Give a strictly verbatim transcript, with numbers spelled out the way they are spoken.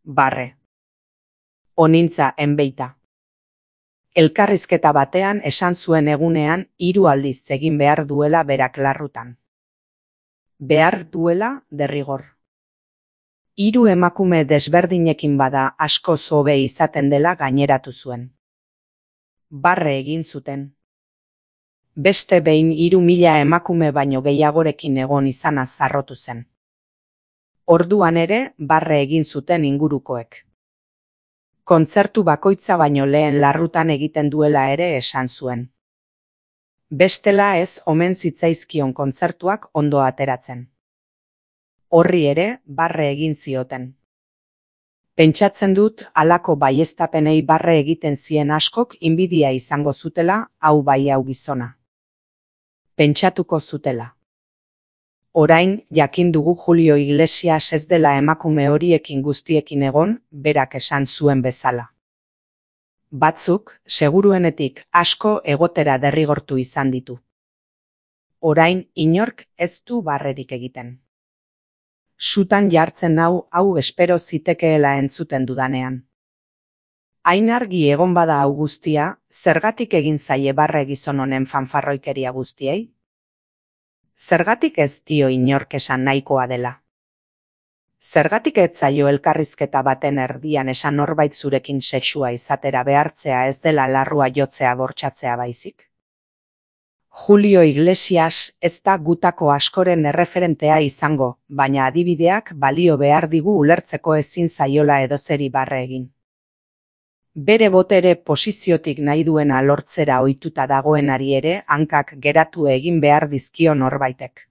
barre. Onintza enbeita. Elkarrizketa batean esan zuen egunean hiru aldiz egin behar duela berak larrutan. Behar duela derrigor. Hiru emakume desberdinekin bada asko zobe izaten dela gaineratu zuen. Barre egin zuten. Beste behin hiru mila emakume baino gehiagorekin egon izana zarrotu zen. Orduan ere barre egin zuten ingurukoek. Kontzertu bakoitza baino lehen larrutan egiten duela ere esan zuen. Bestela ez omen zitzaizkion kontzertuak ondo ateratzen. Horri ere barre egin zioten. Pentsatzen dut halako baieztapenei barre egiten zien askok inbidia izango zutela, hau bai hau gizona. Pentsatuko zutela. Orain jakin dugu Julio Iglesias ez dela emakume horiekin guztiekin egon, berak esan zuen bezala. Batzuk, seguruenetik asko egotera derrigortu izan ditu. Orain inork ez du barrerik egiten. Sutan jartzen hau hau espero zitekeela entzuten dudanean. Hain argi egon bada hau guztia, zergatik egin zaie barre gizon honen fanfarroikeria guztiei? Zergatik ez dio inork esan nahikoa dela? Zergatik ez zaio elkarrizketa baten erdian esan norbait zurekin sexua izatera behartzea ez dela larrua jotzea bortxatzea baizik? Julio Iglesias ez da gutako askoren erreferentea izango, baina adibideak balio behar digu ulertzeko ezin zaiola edozeri barre egin. Bere botere posiziotik nahi duena lortzera ohituta dagoenari ere hankak geratu egin behar dizkio norbaitek.